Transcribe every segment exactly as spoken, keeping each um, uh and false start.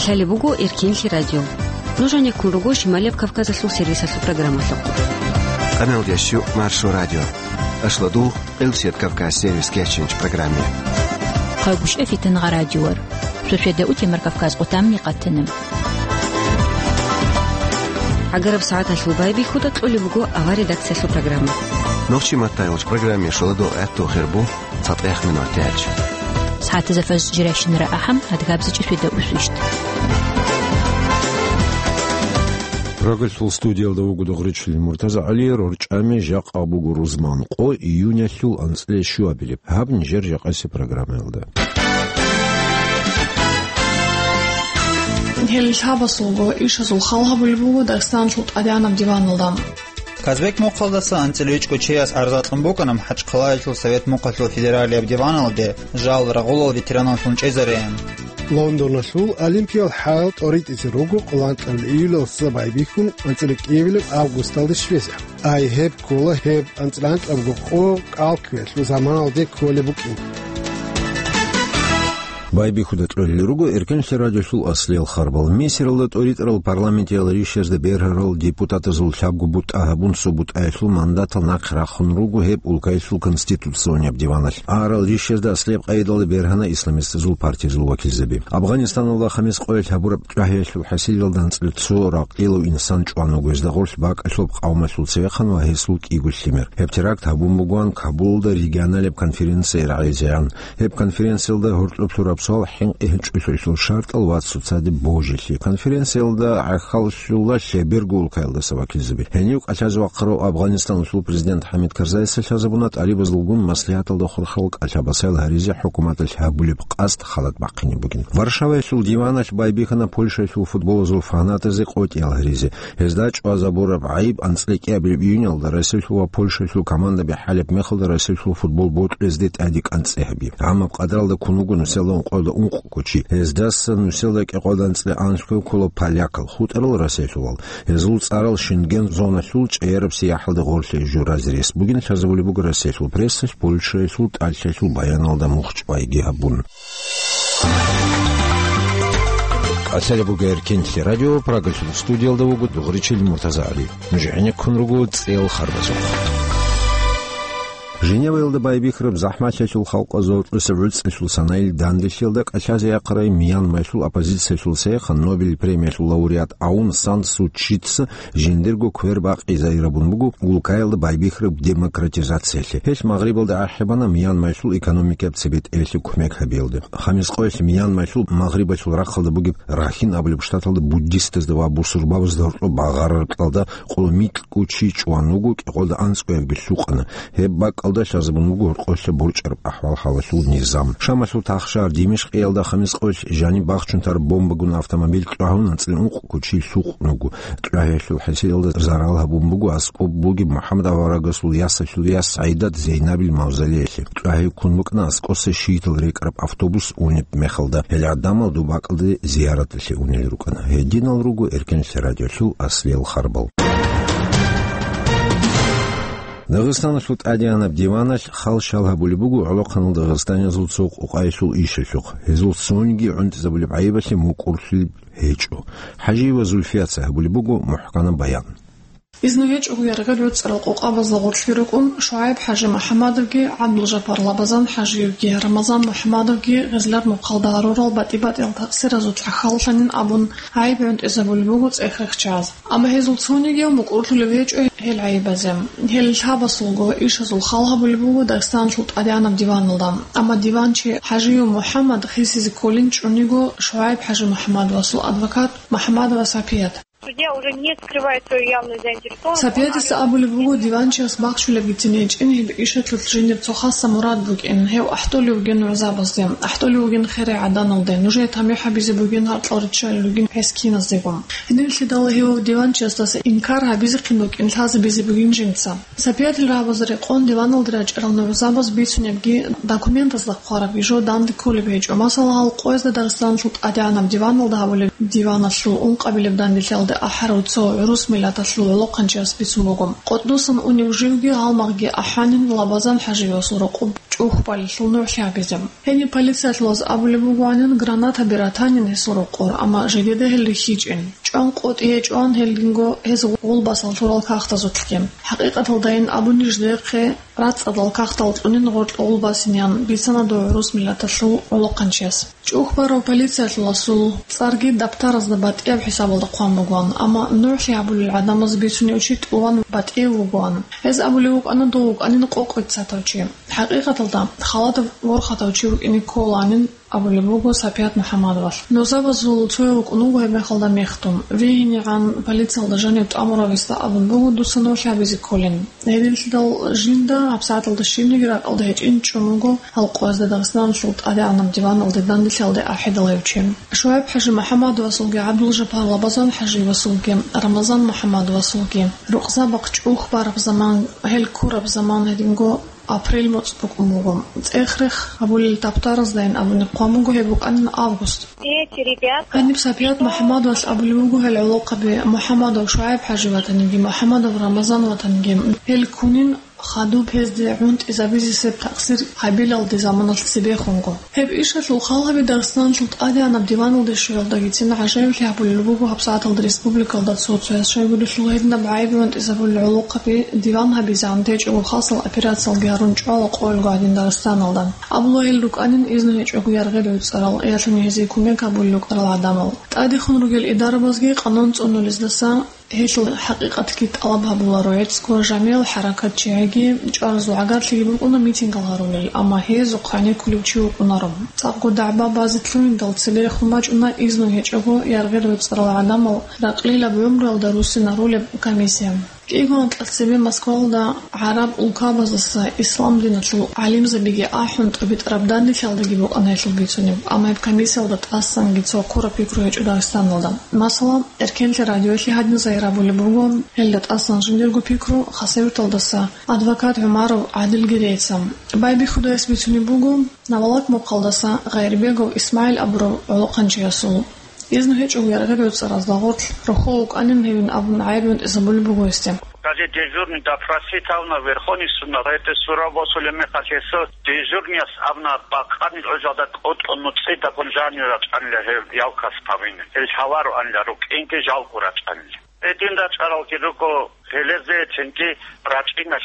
Талеб буго Эркинлъи радио. Нуж гьанеккун руго Шималияб Кавказалъул сервисалъул программалъухъ. Къаналдящу Маршо радио. Ашладу Къилсият Кавказ сервис кеченч программе. Хъагушев Фитангъа радиор. Шошеда утемар Кавказ къутамни къатана. Агараб сагӀаталъул байбихьуда кьолеб буго авар редакциялъул программа. Нохчи маттайилч программе шоладо гӀатту хербу. ЦатӀехъ минуталъ. СагӀатазда фажр жирайщинара ахӀам, адгабзичӀи шведа усвищт. Программалъул студиялда вуго Дугъричил Муртаза ГӀали, рорчӀами жакъа буго рузман къо, июнялъул анцӀила щуабилеб. Гьаб нижер жакъасеб программаялда. Гьел лъабасулго ишазул хал гьабулеб буго Дагъистаналъул тӀадегӀанаб диваналда. Казбек мухъалдаса анцӀила вичӀго чияс гӀарза кьун букӀана МахӀачхъалаялъул Совет мухъалъул федералияб диваналде жал рагъулал ветераналлъун чӀезареян. Лондоналъул Олимпиял хӀал тӀоритӀизе руго къоло анкьабилеб июлалдаса байбихьун анцӀила кӀиабилеб августалде щвезе. Ай гьеб ккола гьеб анцӀила анкьабго къо кӀал кквелъул заманалде кколеб букӀин. Байбихьуда кьолел руго Эркенлъи радиолъул аслиял харбал. Мисиралда тӀоритӀарал парламентиял ришазда бергьарал депутатазул лъабго бутӀа гьабун, цо бутӀаялъул мандатал нахъе рахун руго гьеб улкаялъул конституционияб диваналъ. Арал ришазда аслияб къайдалда бергьана исламистазул партиязул вакилзаби. Афганистаналда хамис къоялъ гьабураб чӀвагьиялъул хӀасилалда анцӀила цо ракъилав инсан чӀван вуго, гьезда гъорлъ бакӀалъуб къавмалъул цевехъан ва гьесул кӀиго лъимер. Гьеб теракт гьабун бугоан Кабулда регионалияб конференцияе рагӀизегӀан. Гьеб конференциялда гьоркьоб лъураб суал хӀинкъи гьечӀолъулъул шартӀал ва цоцазе божилъи. Конференциялда гӀахьаллъула лъеберго улкаялдаса вакилзаби. Гьенив кӀалъазе вахъарав Афганистаналъул президент ХӀамид Карзайица лъазабуна тӀалибазулгун маслигӀаталда хурхарал кӀалъа-басаял гьаризе хӀукуматалъ гьабулеб къасд халат бахъине бугин. Варшаваялъул диваналъ байбихьана Польшаялъул футболазул фанатазе къотӀиял гьаризе. Гьезда чӀвазабураб гӀайиб анцӀила кӀиабилеб июнялда Россиялъул ва Польшаялъул командаби хӀалеб мехалда Россиялъул футбол бокьулезде тӀаде кӀанцӀи гьаби. Гьамаб къадралда ккун вуго нусиялда ункъоялда ункъго чи. Гьездаса нусиялда кӀикъоялда анцӀила анлъго ккола полякал, хутӀарал россиялъулал. Гьезул цӀарал Шенген зоналъул чӀаяраб сияхӀалда гъорлъе журазе рес бугин лъазабулеб буго Россиялъул прессалъ Польшаялъул тӀалъаялъул баяналда мухь чӀвайги гьабун. Асалабуга Эркенлъи радио, Прагалъул студиялда вуго Дугъричил Муртаза ГӀали. Нуж гӀенеккун руго цӀел харбазухъ. Женеваялда байбихьараб захӀмалъиялъул халкъазул гӀурцӀиса гӀуцӀилъул санаил данделъиялда кӀалъазе яхъарай Мьянмаялъул оппозициялъул цехъан Нобель премиялъул лауреат Аун Сан Су Чица жиндирго квер бакъизайрабун буго улкаялда байбихьараб демократизациялъе. Гьелъ Магърибалда ахӀи бана Мьянмаялъул экономикаяб цебетӀеялъе кумек гьабиялде. Хамис къоялъ Мьянмаялъул магърибалъул рахъалда бугеб Рахин абулеб штаталда буддистазда ва бусурбабазда гьоркьоб багъарараб кьалда къоло микьго чи чӀван вуго, кӀикъоялда анцӀгоябги лъукъана. Гьеб бакӀалда лъазабун буго гьоркьоялъа борчӀараб ахӀвал-хӀалалъул низам. Шамалъул тахшагьар Димишкъиялда хамис къоялъ жаниб бахчун тараб бомбагун автомобиль чӀвагьун анцӀила ункъго чи лъукъун вуго. ЧӀвагьиялъул хӀасилалда зарал гьабун буго аскӀоб бугеб МухӀаммад аварагасул ясалъул яс ГӀайдат Зейнабил мавзолеялъе. ЧӀвагьи ккун букӀана аскӀоса шиитал рекӀараб автобус унеб мехалда, гьел гӀадамал доб бакӀалде зияраталъе унел рукӀана. Гьединал руго Эркенлъи радиолъул аслиял харбал. Дагъистаналъул тӀадегӀанаб диваналъ хал-шал гьабулеб буго гӀолохъанал дагъистаниязул цо къукъаялъул ишалъухъ. Гьезул цониги гӀунтӀизабулеб гӀайибалъе мукӀурлъулеб гьечӀо. ХӀажиева Зульфияца гьабулеб буго мухӀканаб баян. Изну гьечӀого яргъел рецӀарал къокъабазда гъорлъе рукӀун ШугӀайб-хӀажи МухӀаммадовги, ГӀабдулжаппар Лабазан-хӀажиевги, Рамазан МухӀаммадовги гъезлар мухъалда гьарурал батӀи-батӀиял таъсиразулъа халлъанин абун гӀайиб гӀунтӀизабулеб буго цӀех-рехчаз. Амма гьезул цонигияв мукӀурлъулев гьечӀо гьел гӀайибазе. Гьел лъабасулго ишазул хал гьабулеб буго Дагъистаналъул тӀадегӀанаб диваналда. Амма диванчи ХӀажиев МухӀаммад хисизе кколин чӀуниго ШугӀайб-хӀажи МухӀаммадовасул адвокат МухӀаммадова Сапият. Судья уже не скрывает свою явную заинтересованность. Сапиятиса абулеб буго, диванчияс бахчулебгицин гьечӀин гьеб ишалъулъ жиндир цо хасса мурад букӀин, гьев ахӀдолев вугин гӀузабазде, ахӀдолев вугин херай гӀаданалде, нужее тамихӀ гьабизе бугин гьаркьал риччалел ругин гӀезкиназдего. Гьединлъидал гьев диванчиясдаса инкар гьабизехъин букӀин лъазабизе бугин жинца. Сапиятил рагӀабазда рекъон диваналде рачӀарал нугӀзабаз бицунебги документазда хъварабги жо данде кколеб гьечӀо. Масала, гьал къоязда Дагъистаналъул тӀадегӀанаб диваналда гьабулеб Диваналъул ункъабилеб данделъиялде ахӀарав цо гӀурус миллаталъул гӀолохъанчияс бицун буго. КъотӀнусан унев живги гьалмагъги ахӀанин Лабазан ХӀажиевасул рокъоб чӀухбалилъул нугӀлъи гьабизе. Гьениб полициялъулаз абулеб бугоанин, гранатаби ратанин гьесул рокъор, амма жидеда гьел рихьичӀин. ЧӀван къотӀи гьечӀоан гьелдинго гьез гъулбасал лъурал кагътазулъги. ХӀакъикъаталдайин абуни жидехъе, рацӀцӀадал кагътал кьунин гъоркье гъулбасинеян бицана дов гӀурус миллаталъул гӀолохъанчияс. ЧӀухбарав полициялъуласул цӀарги даптаразда батӀияб хӀисабалда хъван бугоан, амма нугӀлъи гьабулел гӀадамаз бицунев чи тӀуван батӀияб вугоан. Гьез абулев вукӀана дов вукӀанин къокъ веццатав чи. ХӀакъикъаталда, халатаб ворхатав чи вукӀине кколаанин абулеб буго Сапият МухӀаммадовалъ. Нузабазул цояв вукӀун вуго гьеб мехалда мехтун. ВигьинегӀан полициялда жанив тӀамурав гьесда абун буго, дуца нугӀлъи гьабизе кколин. Гьединлъидал жинда гьабсагӀаталда щибниги ракӀалда гьечӀин чӀун вуго гьал къоязда Дагъистаналъул тӀадегӀанаб диваналде данделъиялде ахӀидал гьев чи. ШугӀайб ХӀажи МухӀаммадовасулги, ГӀабдулжапар Лабазан ХӀажиевасулги, Рамазан МухӀаммадовасулги рукъзабахъ чӀухбараб заман, гьел ккураб заман гьединго апрель моцӀ букӀун буго. ЦӀех-рех гьабулел таптараздайин абуни хъван буго гьеб букӀанин август. Эти ребята... Гьаниб Сапият МухӀаммадовалъ абулеб буго гьел гӀолохъаби МухӀаммадов ШугӀайб ХӀажи ватаниги, МухӀаммадов Рамазан ватаниги. Гьел ккунин хадуб гьезде гӀунтӀизабизе себ такъсир гьабилалде заманалъ цебехунго. Гьеб ишалъул хал гьаби Дагъистаналъул тӀадегӀанаб диваналде щвеялдагицин гӀажаиблъи гьабулеб буго гьабсагӀаталда республикалда цо-цояс щайгурелъул гьединаб гӀайиб-гӀунтӀизабулел гӀолохъаби диван гьабизегӀан течӀого халсал операциялги гьарун чӀвала къоялго гьадин Дагъистаналда. Абула гьел рукӀанин изну гьечӀого яргъи-ройцӀарал, ялъуни гьезие кумек гьабулел рукӀарал гӀадамал. ТӀадехун ругел идарабазги къанун цӀунулездаса гьелъул хӀакъикъатги тӀалаб гьабуларо. ГӀецӀго жамигӀал хӀаракатчияги чӀваразул гӀагарлъиги букӀуна митингал гьарулел, амма гьезухъ гӀенеккулев чи вукӀунаро. ЦӀакъго дагӀба базе лъугьиндал цебе рехун бачӀуна изну гьечӀого яргъи-ройцӀарал гӀадамал ракълилаб гӀумруялда руссинарулеб комиссия. КӀиго анкьа цебе Москвалда гӀараб улкабаздаса ислам диналъул гӀалимзабиги ахӀун, тӀубитӀараб данделъиялдаги букӀана гьелъул бицунеб, амма гьеб комиссиялда тӀасанги цо ккураб пикру гьечӀо Дагъистаналда. Масала, Эркенлъи радиоялъе гьадин загьир абулеб буго, гьелда тӀасан жиндирго пикру Хасавюрталдаса адвокат ГӀумаров ГӀадилги рейца. Байбихьудаяс бицунеб буго Навалак мухъалдаса Гъайрбегов ИсмагӀил абурав гӀолохъанчиясул. Изну гьечӀого яргъи-ройцӀаразда гъорлъ рохьул вукӀанин гьевин абун гӀайиб-гӀунтӀизабулеб буго гьесде. Даже дежурный допросить гьавна, Верховный суд на это сура босулеб мехалъ гьесул дежурныяс абуна, бакъанил гӀужалда кӀутӀун нуцӀидабун жанив рачӀанила гьев явкас гьавин. Гьел лъалароанила, рукӀинги жалго рачӀанила. Гьедин рачӀаралги руго, гьелезецинги рачӀина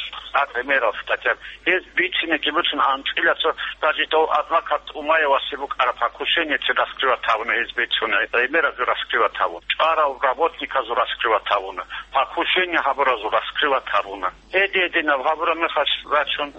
гӀемерал статья. Гьез бицинеги буцун анцӀила цо, даже дов адвокат Умаевасе букӀараб покушениецин раскрывать гьавуна, гьез бицуна, гӀемеразул раскрывать гьавуна, чӀварал работниказул раскрывать гьавуна, покушение гьабуразул раскрывать гьавуна. Гьедин-гьединаб гьабураб мехалъ рачун,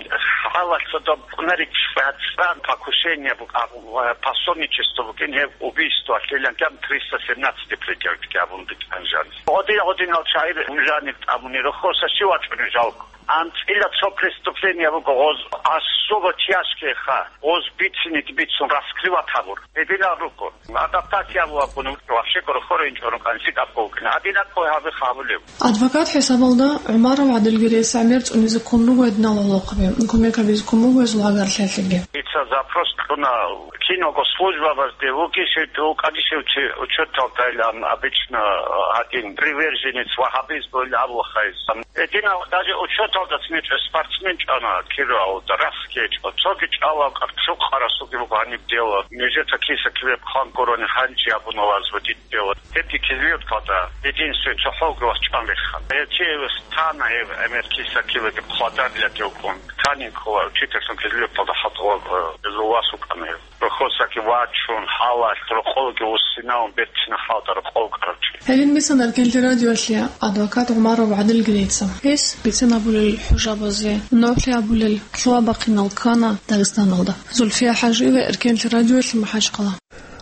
хӀалалъ цо доб кӀунарик бацӀцӀан покушение букӀа-, пособничество букӀин, гьеб убийствоялъилан триста семнадцать предъявить гьабун букӀан жаниб. Гьодин-гьодинал чагӀи жаниб тӀамуни рохьоса щив вачӀунев жалго. АнцӀила цо преступление буго гъоз, особо тяжкие ха, гъоз бицинеги бицун раскрывать гьабур. Гьединал руго. Адаптация вугьабун, вообще гурхӀо ринчӀо рукӀан лъикӀаб гукӀина. Гьадинаб къой гьабихъ гьабулев. Адвокат хӀисабалда ГӀумаров ГӀадилги рейс гӀемер цӀунизе ккун руго гьединал гӀолохъаби, кумек гьабизе ккун буго гьезул гьагарлъиялъеги. Дица запрос кьуна киного службабазде, вугищев, вукӀанищев чи учеталдайилан, обычно гьадин приверженец ваххабизмуйилан абулахъайилан. Гьединал даже учеталдаса нечӀо спортсмен чӀвана Кировалда, рахс гьечӀо. Цоги чӀалал къаркъ-, лъукъарасулги буго гьаниб дело. Нижеца киса-киве хъван гурони хӀанчи абуна ваз водить дело. Гьебги Кизлюрталда единственный цохӀолги вас чӀван рехана. Гьев чи эвес тана гьев гӀемер киса-кивеги хъвадарила тевкун. Танин ккола учительлъун Кизлюрталда хӀалтӀула, э, гьезул вас вукӀана гьев. Рохьосаги вачун, хӀалалъ рокъолги вуссинаун, берцина хӀалтӀа рокъол кӀарачӀи. Гьелин бицана Эркенлъи радиоялъе адвокат ГӀумаров ГӀадилги рейца. Гьес бицинабулел хӀужабазе, нугӀлъи абулел лъугьа-бахъинал ккана Дагъистаналда. Зульфия ХӀажиева, Эркенлъи радиоялъе, МахӀачхъала.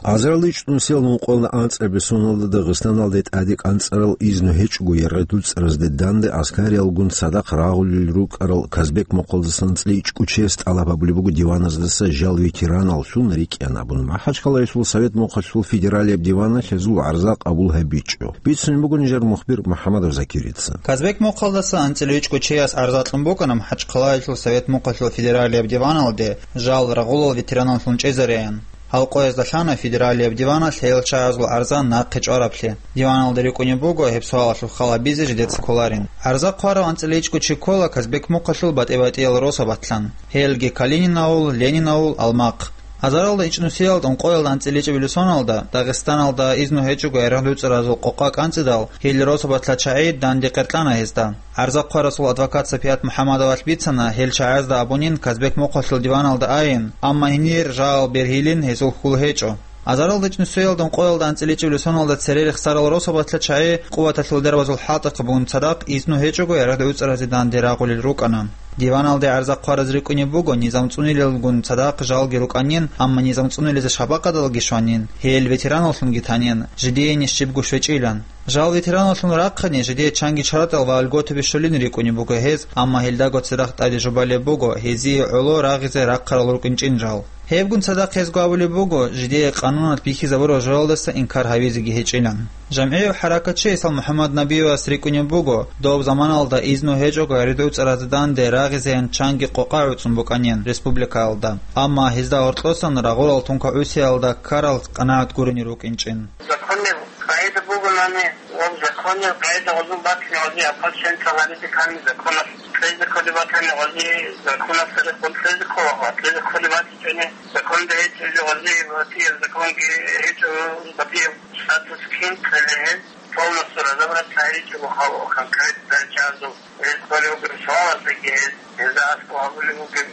Азарилда чӀунусиялда мукъуялда анцӀабилеб соналда Дагъистаналде тӀаде кӀанцӀарал изну гьечӀого яргъи-ройцӀаразде данде аскариялгун цадахъ рагъулел рукӀарал Казбек мухъалдасан анцӀила ичӀго чияс тӀалаб гьабулеб буго диваназдаса жал ветераналлъун рикӀкӀад абун. МахӀачхъалаялъул Совет мухъалъул федералияб диваналъ гьезул гӀарза къабул гьабичӀо. Бицунеб буго нижер мухбир МухӀамадов Закирица. Казбек мухъалдаса анцӀила ичӀго чияс гӀарза кьун букӀана МахӀачхъалаялъул Совет мухъалъул федералияб диваналде жал рагъулел ветераналлъун чӀезареян. Гьал къоязда лъана федералияб диваналъ гьел чагӀазул гӀарза нахъе чӀвараблъи. Диваналда рикӀкӀунеб буго гьеб суалалъул хал гьабизе жидеца кколарин. ГӀарза хъварав анцӀила ичӀго чи ккола Казбек мухъалъул батӀи-батӀиял росабатлъан. Гьелги Калинин авул, Ленин авул, Алмахъ. Азаралда ичӀнусиялда ункъоялда анцӀила ичӀабилеб соналда Дагъистаналда изну гьечӀого ярагъ-дуцӀаразул къокъа кӀанцӀидал, гьел росабатла чагӀи данде къеркьана гьезда. ГӀарза хъварасул адвокат Сапият МухӀаммадовалъ бицана гьел чагӀазда абунин Казбек мухъалъул диваналда айин, амма гьенир жал бергьилин гьезул хьул гьечӀо. Азаралда ичӀнусиялда ункъоялда анцӀила ичӀабилеб соналда цере рехсарал росабатла чагӀи къуваталъул дарбазул хӀалтӀухъаб бугун цадахъ изну гьечӀого ярагъ-дуцӀаразе данде рагъулел рукӀана. Диваналде гӀарза хъвараз рикӀкӀунеб буго низам цӀунилелгун цадахъ жалги рукӀанин, амма низам цӀунилезе шабакъадалги щванин, гьел ветераналлъунги танин, жидеяни щибго щвечӀилан. Жал ветераналлъун рахъани, жидее чанги чаратал ва льготаби щолин рикӀкӀунеб буго гьез, амма гьелдаго цадахъ тӀаде жубалеб буго, гьезие гӀоло рагъизе рахъарал рукӀинчӀин жал. Гьебгун цадахъ гьезго абулеб буго, жидее къануналъ бихьизабурал жоялдаса инкар гьавизеги гьечӀилан. ЖамгӀияв хӀаракатчи ГӀисал МухӀаммад Набиевас рикӀкӀунеб буго, доб заманалда изну гьечӀого ярагъ-дуцӀаразе данде рагъизеян чанги къокъа гӀуцӀун букӀанин республикаялда, амма гьезда гьоркьосан рагъулал тункагӀусиялда ккарал къанагӀат гурони рукӀинчӀин. Законалъ къагӀида бугонани, ва законалъ къагӀида гъозун батани, гъози апал чен ккаланизе ккани законалъ. Кьезе кколеб батани, гъози законалъ цадахъ кьезе ккола, ва кьезе кколеб батичӀони, законалда гьечӀони, гъози батияб законги гьечӀо, батияб статус кин кьелегьез, полностью разобраться гьаричӀого хал конкретно чагӀазул. Гьез кколев вугев суалаздаги гьез, гьезда аскӀов гьабулеб бугеб,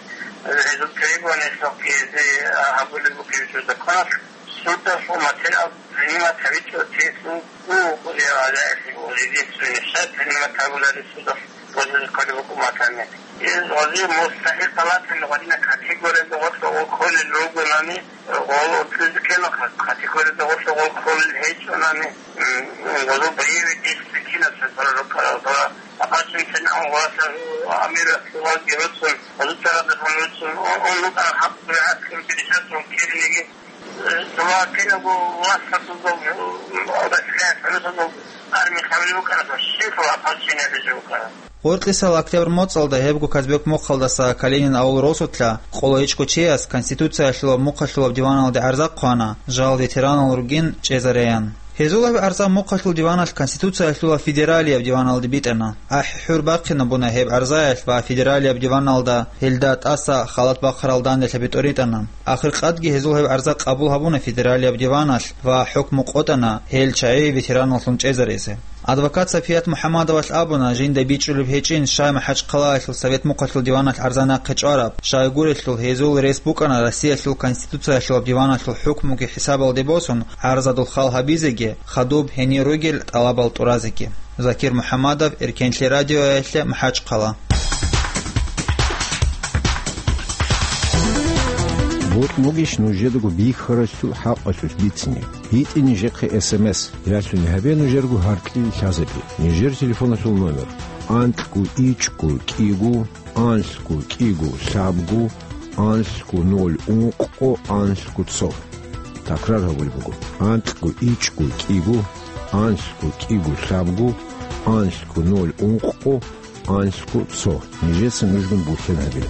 гьезул требованиялъухъги гьезие гьабулеб бугеб жо законалъ. Судалъул материал принимать гьабичӀо, те суд, ну, я, я, я, единственный шаг принимать гьабулареб судалъ гъозие кколеб букӀун батани. Гьез гъозие мустахӀикъал батани, гъодина категориялда гъорлъ гъол кколел ругонани, гъол унтӀизе ккела, категориялда гъорлъ гъол кколел гьечӀонани, м, гъозул боевой действие кинаб цебе рукӀарал, ва апачун чӀинан гъоласа амирас гъозги руцун, гъозул царалдасан руцун, он, он рукӀарал хӀакъ дугӀатлъун пересадкун кириниги, Жаваб кинабго васасузул, Россия хӀурусазул арми хабали букӀараб, щиб ополчение гьабизе букӀараб? Гъоркьисал октябрь моцӀалда гьебго Казбек мухъалдаса Калинин авул росулъа къоло ичӀго чияс Конституциялъулаб мухъалъулаб диваналде гӀарза хъвана, жал ветеранал ругин чӀезареян. Гьезул гьеб гӀарза мухъалъул диваналъ Конституциялъулаб федералияб диваналде битӀана. АхӀи-хӀур бахъинабуна гьеб гӀарзаялъ ва федералияб диваналда гьелда тӀаса халат бахъарал данделъаби тӀоритӀана. Ахиркъадги гьезул гьеб гӀарза къабул гьабуна федералияб диваналъ ва хӀукму къотӀана гьел чагӀи ветераналлъун чӀезарезе. Адвокат Сапият МухӀаммадовалъ абуна, жинда бичӀчӀулеб гьечӀин щай МахӀачхъалаялъул Совет мухъалъул диваналъ гӀарза нахъе чӀвараб, щайгурелъул гьезул рес букӀана Россиялъул Конституциялъулаб диваналъул хӀукмуги хӀисабалде босун, гӀарзадул хал гьабизеги, хадуб гьенир ругел тӀалабал тӀуразеги. Закир МухӀаммадов, Эркенлъи радиоялъе, МахӀачхъала. Бокь бугищ нужедаго бихьаралъул хӀакъалъулъ бицине? БитӀе нижехъе эс эм эс, ралъуни гьабе нужерго гьаркьил лъазабе. Нижер телефоналъул номер: анкьго ичӀго кӀиго, анлъго кӀиго лъабго, анлъго ноль ункъго, анлъго цо. Такрар гьабулеб буго: анкьго ичӀго кӀиго, анлъго кӀиго лъабго, анлъго ноль ункъго, анлъго цо. Нижеца нужгун бутлъен гьабе.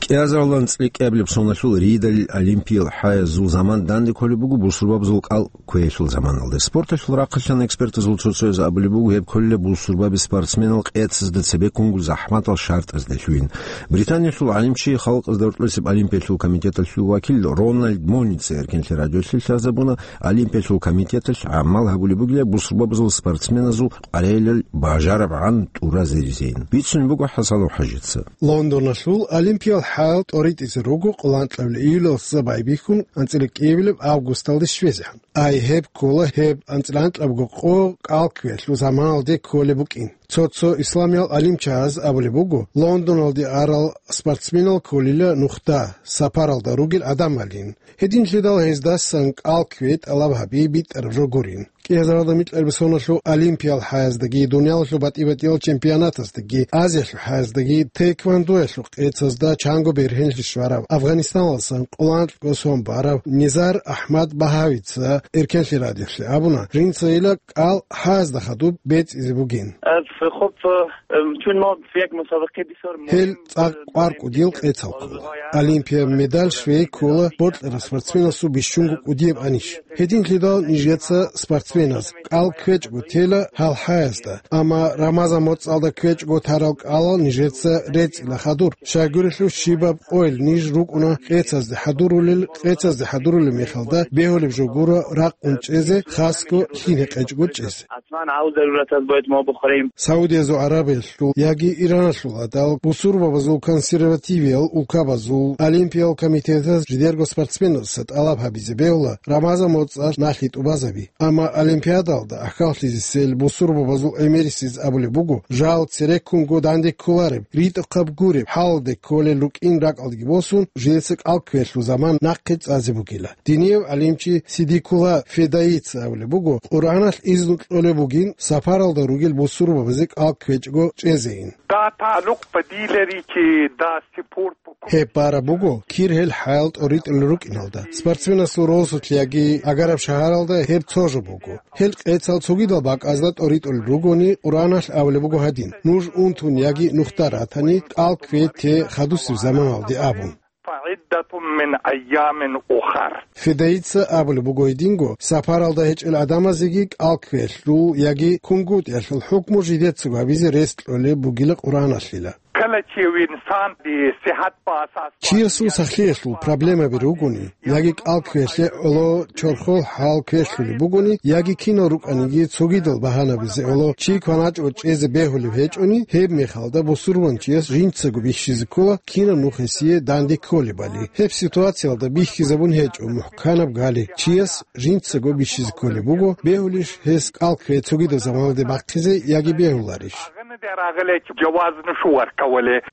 КӀиазаралда анцӀила кӀиабилеб соналъул Риодалил Олимпиял хӀаязул заман данде кколеб буго бусурбабазул кӀал кквеялъул заманалда. Спорталъул рахъалъан экспертазул цо-цояз абулеб буго, гьеб кколила бусурбаби спортсменал къецазда цебе ккунгун захӀматал шартӀазда лъугьин. Британиялъул гӀалимчи халкъазда гьоркьосеб Олимпиялъул комитеталъул вакил Рональд Моница Эркенлъи радиолъе лъазабуна, Олимпиялъул комитеталъ гӀамал гьабулеб бугила бусурбабазул спортсменазул къваригӀелал бажарабгӀан тӀуразаризейин. Бицунеб буго ХӀасанов ХӀажица. Лондоналъул Олимпиял хӀал тӀоритӀизе руго къоло анкьабилеб июлалдаса байбихьун анцӀила кӀиабилеб августалде щвезегӀан. Ай гьеб ккола гьеб анцӀила анкьабго къо кӀал кквеялъул заманалде кколеб букӀин. Цо-цо исламиял гӀалимчагӀаз абулеб буго, Лондоналде арал спортсменал кколила нухда, сапаралда ругел гӀадамалин. Гьединлъидал гьездасан кӀал кквей тӀалаб гьаби битӀараб жо гурин. Кьезаралда микьарб соналъул олимпиял хӀаяздаги, дуниялалъул батӀи-батӀиял чемпионатаздаги, Азиялъул хӀаяздаги, тейквандоялъул къецазда чанго бергьенлъи щварав Афганистаналдасан къоло анкьго сон барав Низар Ахмад Багьавица Эркенлъи радиолъе абуна, жинцайила кӀал хӀаязда хадуб бецӀизе бугин. Э, ф-, хоб, э, м, чун мал ф-, як мусабакъи бисер Гьел мугьим, цӀакъ э, кӀвар кӀудиял къецал ккола. Олимпияб медаль щвей ккола бокьарав спортсменасул бищунго кӀудияб анищ. Гьединлъидал нижеца спортсменаз кӀал кквечӀого тела гьал хӀаязда, амма Рамазан моцӀалда кквечӀого тарал кӀалал нижеца рецӀила хадур. Щайгурелъул щибаб къойил ниж рукӀуна къецазде хӀадурулел, къецазде хӀадурулеб мехалда бегьулеб жо гуро ракъун чӀезе, хасго лъин гьекъечӀого чӀезе. Атман гьав заруратаз бойтӀ мо бухарим. Саудиязул Арабиялъул яги Ираналъул гӀадал бусурбабазул консервативиял улкабазул олимпиял комитетаз жидерго спортсменаздаса тӀалаб гьабизе бегьула Рамазан моцӀалъ налъи тӀубазаби. Амма олимпиадалда ахьаллъизесел бусурбабазул гӀемерисез абулеб буго, жал цереккунго данде кколареб, ритӀухъаб гуреб хӀалалде кколел рукӀин ракӀалдеги босун, жидеца кӀал кквелъул заман нахъе цӀазе бугила. Динияв гӀалимчи Сидикула Федаица абулеб буго, Къуръаналъ изну кьолеб бугин сапаралда ругел бусурбабазе кӀал кквечӀого чӀезейин. Да, талукъ бадилари чи да сипорт бу- Гьеб бараб буго, кир гьел хӀаял тӀоритӀулел рукӀиналда. Спортсменасул росулъ яги агараб шагьаралда гьеб цо жо буго. Гьел къецал цогидал бакӀазда тӀоритӀулел ругони, Къуръаналъ абулеб буго гьадин: «Нуж унтун яги нухда ратани, кӀал ккве те хадусеб заманалде», – абун. Фаиддатун мин айямин ухар. Федаица абулеб буго гьединго, сапаралда гьечӀел гӀадамазеги кӀал кквелъул яги кунгутӀиялъул хӀукму жидецаго гьабизе рес кьолеб бугила Къуръаналъила. Кала чи винсан ди сихат баса Чиясул сахлъиялъул проблемаби ругони, яги кӀал кквелъе гӀоло чорхол хӀал кквелъулеб бугони, яги кинал рукӀаниги цогидал багьанабизе гӀоло чи кваначӀого чӀезе бегьулеб гьечӀони, гьеб мехалда бусурманчияс жинцаго бихьизе ккола, кинаб нух гьесие данде кколебали. Гьеб ситуациялда бихьизабун гьечӀо мухӀканаб гали, чияс жинцаго бихьизе кколеб буго, бегьулищ гьес кӀал ккве цогидаб заманалде бахъизе яги бегьуларищ.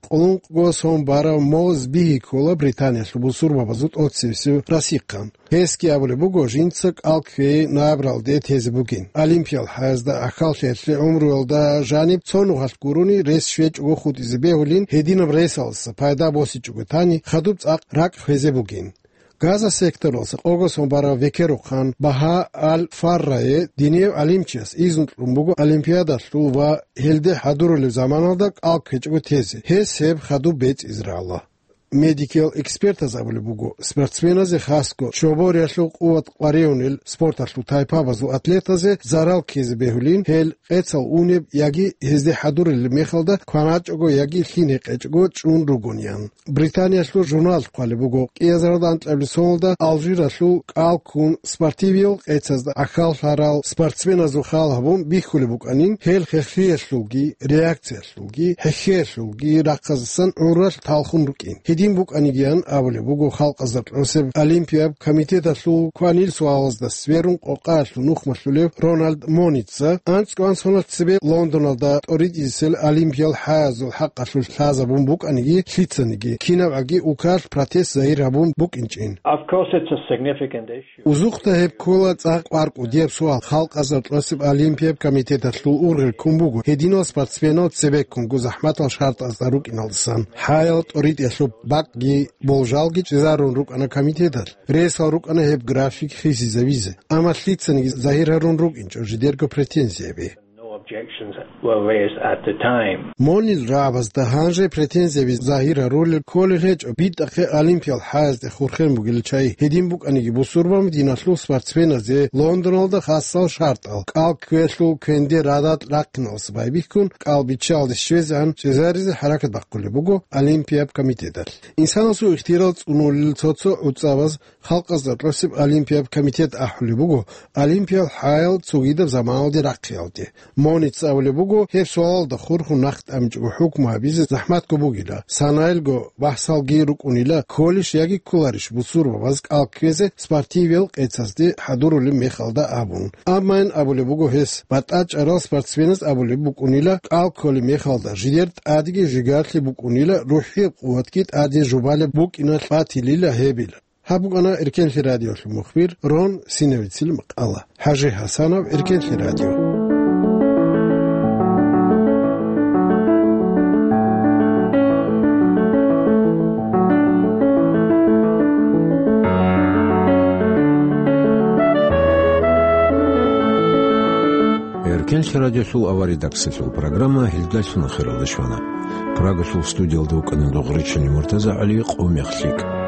Къулункъго сон барав Моз Бигьи ккола Британиялъул бусурбабазул тӀоцебесев расихъан. Гьесги абулеб буго, жинца кӀал кквей набралде тезе бугин. Олимпиял хӀаязда ахьаллъиялъе гӀумруялда жаниб цо нухалъ гурони рес щвечӀого хутӀизе бегьулин, гьединаб ресалдаса пайда босичӀого тани, хадуб цӀакъ ракӀ хвезе бугин. Газа секторалъа къого сон барав векерухъан Багьа Аль-Фаррае динияв гӀалимчияс изну кьун буго олимпиадалъул ва гьелде хӀадурулеб заманалда кӀал ккечӀого тезе. Гьес гьеб хадуб бецӀизе рагӀула. Медикиял экспертаз абулеб буго, спортсменазе, хасго чобориялъул къуват къваригӀунел спорталъул тайпабазул атлетазе зарал ккезе бегьулин, гьел къецал унеб яги гьезде хӀадурилеб мехалда кваначӀого яги лъин гьекъечӀого чӀун ругониян. Британиялъул журналалъ хъвалеб буго, кӀиазаралда анкьабилеб соналда Алжиралъул кӀал ккун спортивиял къецазда ахьаллъарал спортсменазул хал гьабун бихьулеб букӀанин, гьел хехлъиялъулги, реакциялъулги, хӀехьеялъулги рахъаздасан гӀуралъ талхун рукӀин. Гьедин букӀанигиян абулеб буго Халкъазда кьосеб олимпияб комитеталъул кванил суалазда сверун къокъаялъул нухмалъулев Рональд Моница, анцӀго сон цебе Лондоналда тӀоритӀизесел олимпиял хӀаязул хӀакъалъулъ лъазабун букӀаниги лъицаниги, кинабгӀаги улкалъ протест загьир гьабун букӀинчӀин. Of course, it's a significant issue. Узухъда гьеб ккола цӀакъ кӀвар кӀудияб суал. Халкъазда кьосеб олимпияб комитеталъул ургъел ккун буго гьединал спортсменал цебеккунго захӀматал шартӀазда рукӀиналдасан. ХӀаял тӀоритӀиялъул бакъги болжалги чӀезарун рукӀана комитеталъ. Ресал рукӀана гьеб график хисизавизе. Амма лъицаниги загьир гьарун рукӀинчӀо жидерго претензияби. No objections were raised at the time. Монил рагӀабазда гьанже претензияби загьир гьарулел кколел гьечӀо, битӀахъе олимпиял хӀаязде хурхен бугел чагӀи. Гьедин букӀаниги, бусурбан диналъул спортсменазе Лондоналда хасал шартӀал, кӀал кквелъул квенде радал рахъиналдаса байбихьун, кӀал биччалде щвезегӀан чӀезаризе хӀаракат бахъулеб буго Олимпияб комитеталъ. Инсанасул ихтияр цӀунулел цо-цо гӀуцӀабаз Халкъазда кьосеб Олимпияб комитет ахӀулеб буго, олимпиял хӀаял цогидаб заманалде рахъиялде. Моница абулеб буго, гьеб суалалда хурхун нахъ тӀамичӀого хӀукму гьабизе захӀматго бугила, санаялго бахӀсалги рукӀунила, кколищ яги кколарищ бусурбабаз кӀал кквезе спортивиял къецазде хӀадурулеб мехалда абун. Амма ин абулеб буго гьес, батӀа чӀарал спортсменаз абулеб букӀунила, кӀал кколеб мехалда жидер тӀадеги жигарлъи букӀунила, рухӀияб къуватги тӀаде жубалеб букӀиналъ батилила гьебил. Гьаб букӀана Эркенлъи радиолъул мухбир Рон Синавицил макъала. ХӀажи ХӀасанов, Эркенлъи радио. Эркенлъи радиолъул аваридаксалъул программа гьелдалъун ахиралде щвана. Прагалъул студиялда вукӀана Дугъричани МуртазагӀали, къо мех лъикӀ.